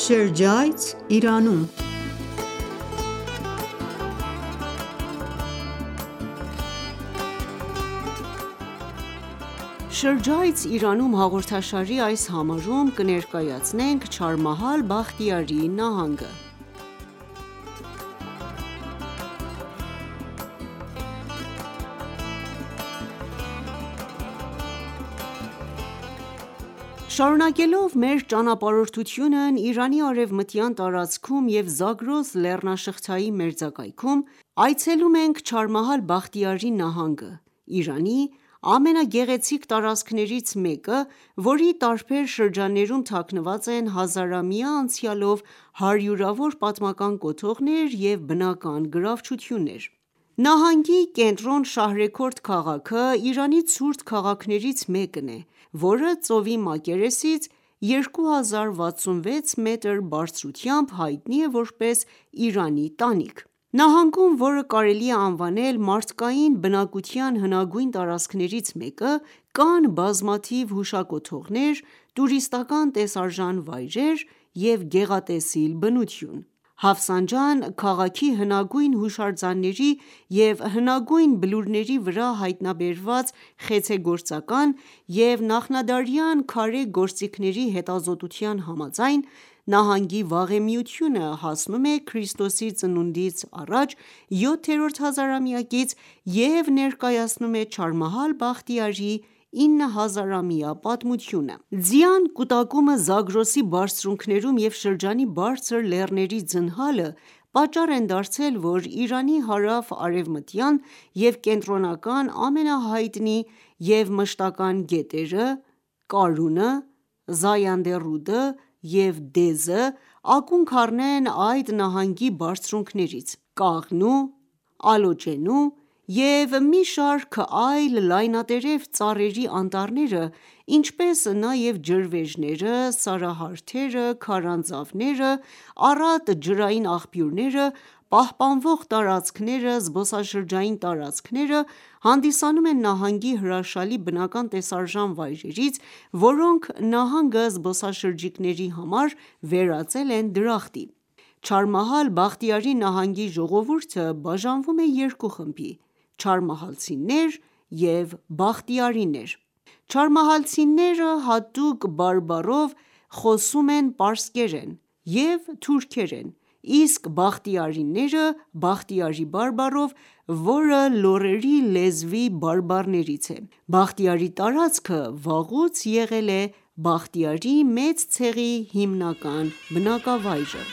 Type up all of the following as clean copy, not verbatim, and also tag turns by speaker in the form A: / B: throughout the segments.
A: Շրջայց Իրանում «Շրջայց Իրանում» հաղորդաշարի այս համարում կներկայացնենք Չահարմահալ Բախտիարի նահանգը: Շարունակելով մեր ճանապարհորդությունն Իրանի արևմտյան տարածքում և Զագրոս լեռնաշղթայի մերձակայքում, այցելում ենք Չահարմահալ Բախտիարի նահանգը, Իրանի ամենագեղեցիկ տարածքներից մեկը, որի տարբեր շրջաններում թաքնված են հազարամյա անցյալով հարյուրավոր պատմական կոթողներ և բնական գրավչություններ: Նահանգի կենտրոն Շահրեքորդ քաղաքը Իրանի ցուրտ քաղաքներից մեկն է, որը ծովի մակերեսից 2066 մետր բարձրությամբ հայտնի է որպես Իրանի տանիք: Նահանգում, որը կարելի է անվանել մարդկային բնակության հնագույն տարածքներից մեկը, կան բազմաթիվ հուշակոթողներ, տուրիստական տեսարժան վայրեր և գեղատեսիլ բնություն: Հաֆսանջան քաղաքի հնագույն հուշարձանների և հնագույն բլուրների վրա հայտնաբերված խեցեգործական և նախնադարյան քարե գործիքների հետազոտության համաձայն, նահանգի վաղեմիությունը հասնում է ՔԾԱ 7-րդ հազարամյակից և ներկայացնում է Չահարմահալ Բախտիարի 9000-ամյա պատմությունը: Ձյան կուտակումը Զագրոսի բարձունքներում և շրջանի բարձր լեռների ձնհալը պատճառ են դարձել, որ Իրանի հարավ-արևմտյան և կենտրոնական ամենահայտնի և մշտական գետերը՝ Կարունը, Զայանդե ռուդը և Դեզը, ակունք առնեն այդ նահանգի բարձունքներից: Կաղնու, Ալոճենու և մի շարք այլ լայնատերև ծառերի անտառները, ինչպես նաև ջրվեժները, սարահարթերը, քարանձավները, առատ ջրային աղբյուրները, պահպանվող տարածքները, զբոսաշրջային տարածքները հանդիսանում են նահանգի հրաշալի բնական տեսարժան վայրերից, որոնք նահանգը զբոսաշրջիկների համար վերածել են դրախտի: Չահարմահալ Բախտիարի նահանգի ժողովուրդը բաժանվում է երկու խմբի՝ չահարմահալցիներ և բախտիարիներ: Չահարմահալցիները հատուկ բարբառով խոսում են պարսկերեն և թուրքերեն, իսկ բախտիարիները բախտիարի բարբառով, որը լոռերի լեզվի բարբառներից է: Բախտիարի տարածքը վաղուց եղել է Բախտիարի մեծ ցեղի հիմնական բնակավայրը: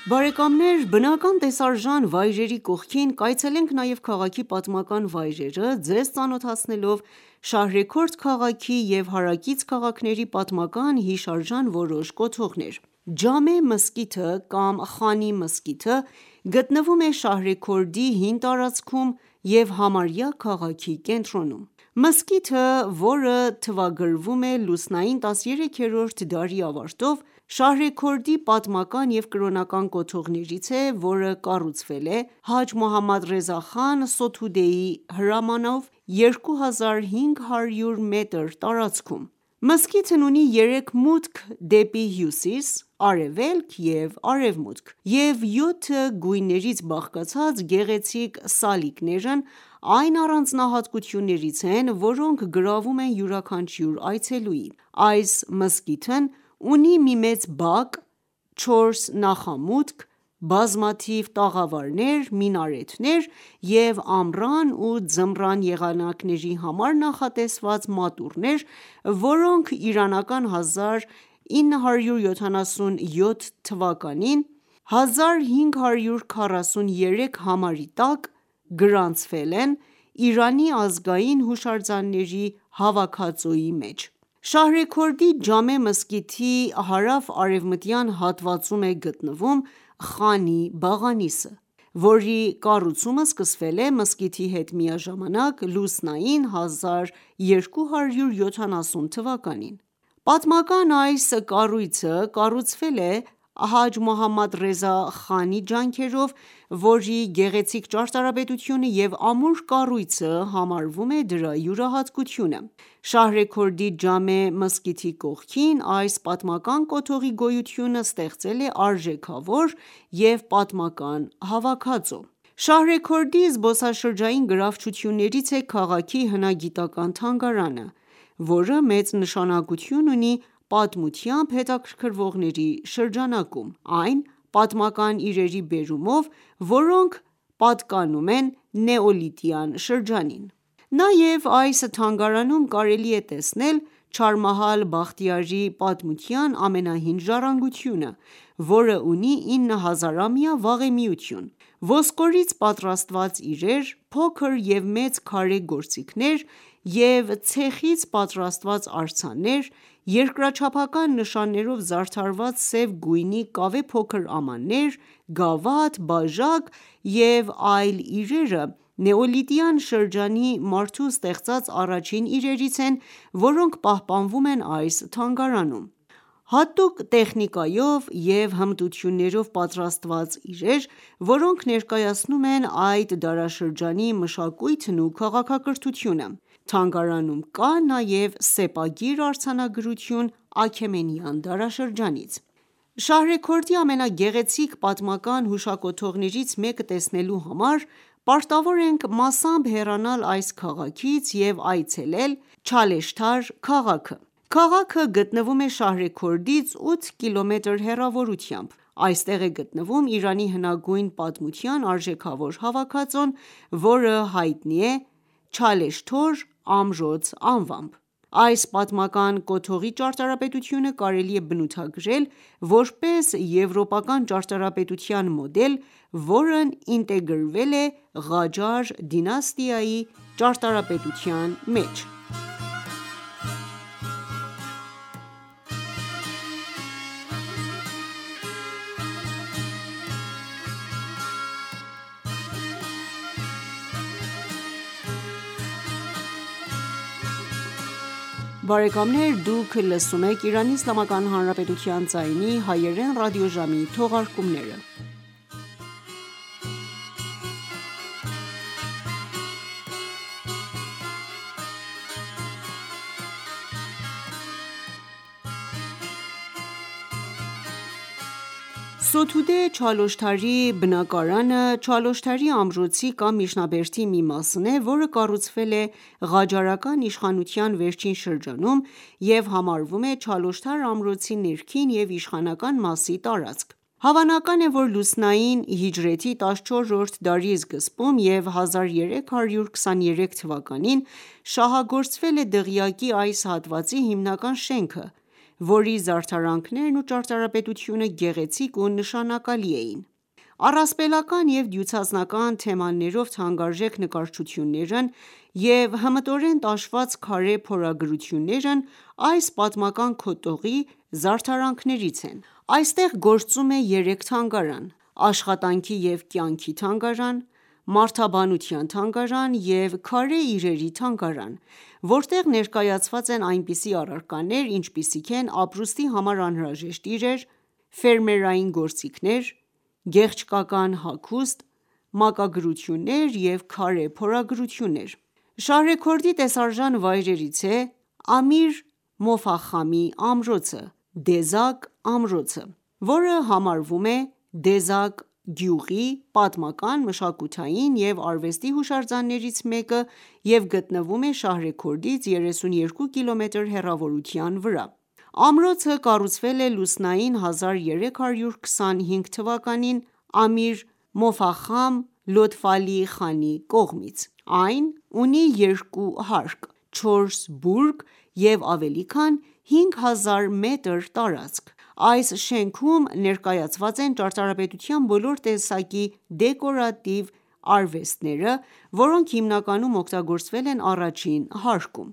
A: Բարեկամներ բնական տեսարժան վայրերի կողքին կայցելենք նաև քաղաքի պատմական վայրերը, ձեզ ծանոթացնելով Շահրեքորդ քաղաքի և հարակից քաղաքների պատմական հիշարժան որոշ կոթողներ: Ջամե մզկիթը կամ Խանի մզկիթը գտնվում է Շահրեքորդի հին տարածքում և համարյա քաղաքի կենտրոնում: Մզկիթը, որը թվագրվում է լուսնային 13-րդ դարի ավարտով, Շահրեքորդի պատմական և կրոնական կոթողներից է, որը կառուցվել է Հաջ Մոհամմադ Ռեզա խան Սոթուդեի հրամանով 2500 մետր տարածքում: Մզկիթն ունի 3 մուտք դեպի հյուսիս, արևելք և արևմուտք և 7 գույներից բաղկացած գեղեցիկ սալիկներն այն առանձնահատկություններից են, որոնք գրավում են յուրաքանչյուր այցելուի: Այս մզկիթն ունի մի մեծ բակ, 4 նախամուտք, բազմաթիվ տաղավարներ, մինարեթներ և ամռան ու ձմռան եղանակների համար նախատեսված մատուռներ, որոնք իրանական 1977 թվականին 1543 համարի տակ գրանցվել են Իրանի ազգային հուշարձանների հավաքածուի մեջ: Շահրեքորդի Ջամե մզկիթի հարավ-արևմտյան հատվածում է գտնվում Խանի բաղանիսը, որի կառուցումը սկսվել է մզկիթի հետ միաժամանակ լուսնային 1270 թվականին։ Պատմական այս կառույցը կառուցվել է Հաջ Մոհամմադ Ռեզա խանի ջանքերով, որի գեղեցիկ ճարտարապետությունը և ամուր կառույցը համարվում է դրա յուրահատկությունը։ Շահրեքորդի Ջամե մզկիթի կողքին այս պատմական կոթողի գոյությունը ստեղծել է արժեքավոր և պատմական հավաքածու։ Շահրեքորդի զբոսաշրջային գրավչություններից է քաղաքի հնագիտական թանգարանը, որը մեծ նշանակություն ունի պատմությամբ հետաքրքրվողների շրջանակում։ Այն պատմական իրերի բերումով, որոնք պատկանում են նեոլիթյան շրջանին։ Նաև այս թանգարանում կարելի է տեսնել Չահարմահալ Բախտիարի պատմության ամենահին ժառանգությունը, որը ունի 9000-ամյա վաղեմիություն։ Ոսկորից պատրաստված իրեր, փոքր և մեծ քարե գործիքներ և ցեխից պատրաստված արձաններ, երկրաչափական նշաններով զարդարված սև գույնի կավե փոքր ամաններ, գավաթ, բաժակ և այլ իրերը նեոլիթյան շրջանի մարդու ստեղծած առաջին իրերից են, որոնք պահպանվում են այս թանգարանում։ Հատուկ տեխնիկայով և հմտություններով պատրաստված իրեր, որոնք ներկայացնում են այդ դարաշրջանի մշակույթն ու քաղաքակրթությունը։ Թանգարանում կա նաև սեպագիր արձանագրություն Աքեմենյան դարաշրջանից։ Շահրեքորդի ամենագեղեցիկ պատմական հուշակոթողներից մեկը տեսնելու համար պարտավոր ենք մասամբ հեռանալ այս քաղաքից և այցելել Չալեշթար քաղաքը։ Քաղաքը գտնվում է Շահրեքորդից 8 կմ հեռավորությամբ։ Այստեղ է գտնվում Իրանի հնագույն պատմության արժեքավոր հավաքածուն, որը հայտնի է Չալեշթոր ամրոց անվամբ։ Այս պատմական կոթողի ճարտարապետությունը կարելի է բնութագրել որպես եվրոպական ճարտարապետության մոդել, որն ինտեգրվել է Ղաջար դինաստիայի ճարտարապետության մեջ։ Դուք լսում եք Իրանի Իսլամական Հանրապետության ձայնի հայերեն ռադիոժամի թողարկումները։ Սոթուդե Չալոշթարի բնակարանը Չալոշթարի ամրոցի կամ միջնաբերդի մի մասն է, որը կառուցվել է ղաջարական իշխանության վերջին շրջանում և համարվում է Չալոշթար ամրոցի ներքին և իշխանական մասի տարածք։ Հավանական է, որ լուսնային հիջրեթի 14-րդ դարի սկզբում և 1323 թվականին շահագործվել է դղյակի այս հատվածի հիմնական շենքը, որի զարդարանքներն ու ճարտարապետությունը գեղեցիկ ու նշանակալի էին։ Առասպելական և դյուցազնական թեմաներով թանկարժեք նկարչություններն և հմտորեն տաշված քարե փորագրություններն այս պատմական կոթողի զարդարանքներից են։ Այստեղ գործում է 3 թանգարան՝ Աշխատանքի և կյանքի թանգարան, Մարդաբանության թանգարան և Քարե իրերի թանգարան, որտեղ ներկայացված են այնպիսի առարկաներ, ինչպիսիք են ապրուստի համար անհրաժեշտ իրեր, ֆերմերային գործիքներ, գեղչկական հագուստ, մակագրություններ և քարե փորագրություններ։ Շահրեքորդի տեսարժան վայրերից է Ամիր Մոֆախամի ամրոցը (Դեզակ ամրոցը), որը համարվում է Դեզակ գյուղի պատմական, մշակութային և արվեստի հուշարձաններից մեկը և գտնվում է Շահրեքորդից 32 կմ հեռավորության վրա։ Ամրոցը կառուցվել է լուսնային 1325 թվականին Ամիր Մոֆախամ Լոթֆալի խանի կողմից։ Այն ունի 2 հարկ, 4 բուրգ և ավելի քան 5000 մետր տարածք։ Այս շենքում ներկայացված են ճարտարապետության բոլոր տեսակի դեկորատիվ արվեստները, որոնք հիմնականում օգտագործվել են առաջին հարկում։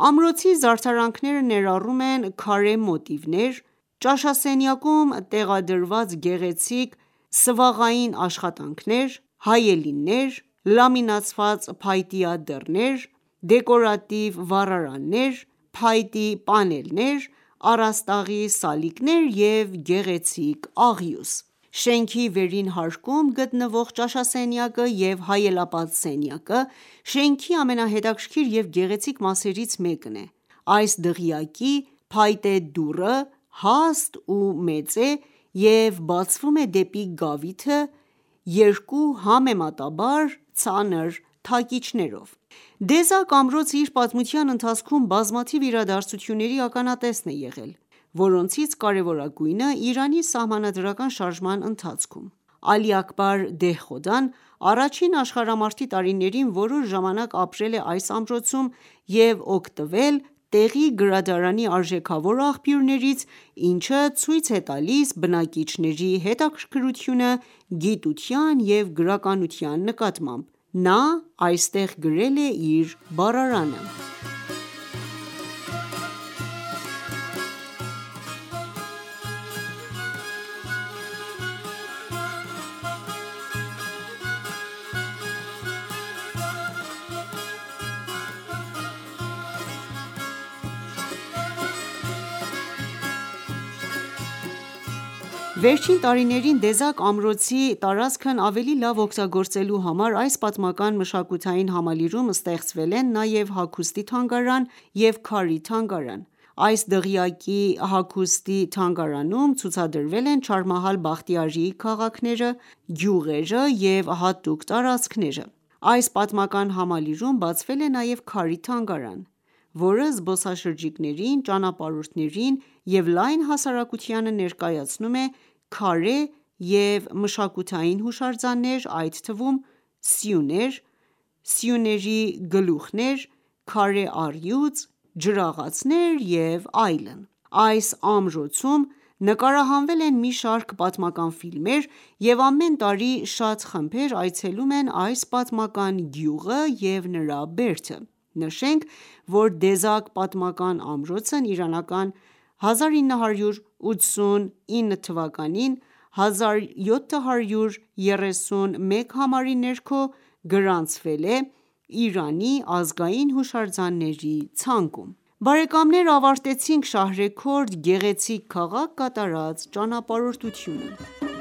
A: Ամրոցի զարդարանքները ներառում են քարե մոտիվներ, ճաշասենյակում տեղադրված գեղեցիկ սվաղային աշխատանքներ, հայելիներ, լամինացված փայտյա դռներ, դեկորատիվ վառարաններ, փայտի պանելներ, առաստաղի սալիկներ և գեղեցիկ աղյուս: Շենքի վերին հարկում գտնվող ճաշասենյակը և հայելապատ սենյակը շենքի ամենահետաքրքիր և գեղեցիկ մասերից մեկն է: Այս դղյակի փայտե դուռը հաստ ու մեծ է և բացվում է դեպի գավիթը երկու համեմատաբար ծանր թակիչներով: Դեզակ ամրոցը իր պատմության ընթացքում բազմաթիվ իրադարձությունների ականատեսն է եղել, որոնցից կարևորագույնը Իրանի Սահմանադրական շարժման ընթացքում: Ալի Աքբար Դեհխոդան առաջին աշխարհամարտի տարիներին որոշ ժամանակ ապրել է այս ամրոցում և օգտվել տեղի գրադարանի արժեքավոր աղբյուրներից, ինչը ցույց է տալիս բնակիչների հետաքրքրությունը գիտության և գրականության նկատմամբ: Նա այստեղ գրել է իր բառարանը: Վերջին տարիներին Դեզակ ամրոցի տարածքն ավելի լավ օգտագործելու համար այս պատմական մշակութային համալիրում ստեղծվել են նաև հագուստի թանգարան և քարի թանգարան: Այս դղյակի հագուստի թանգարանում ցուցադրվել են Չահարմահալ Բախտիարիի քաղաքները, գյուղերը և հատուկ տարածքները: Այս պատմական համալիրում բացվել է նաև քարի թանգարան, որը զբոսաշրջիկներին, ճանապարհորդներին և լայն հասարակությանը ներկայացնում է քարե և մշակութային հուշարձաններ, այդ թվում սյուներ, սյուների գլուխներ, քարե առյուծ, ջրաղացներ և այլն: Այս ամրոցում նկարահանվել են մի շարք պատմական ֆիլմեր և ամեն տարի շատ խմբեր այցելում են այս պատմական գյուղը և նրա բերդը: Նշենք, որ Դեզակ պատմական ամրոցն իրանական 1989 թվականին 1731 համարի ներքո գրանցվել է Իրանի ազգային հուշարձանների ցանկում: Ավարտեցինք Շահրեքորդ գեղեցիկ քաղաք կատարած ճանապարհորդությունը: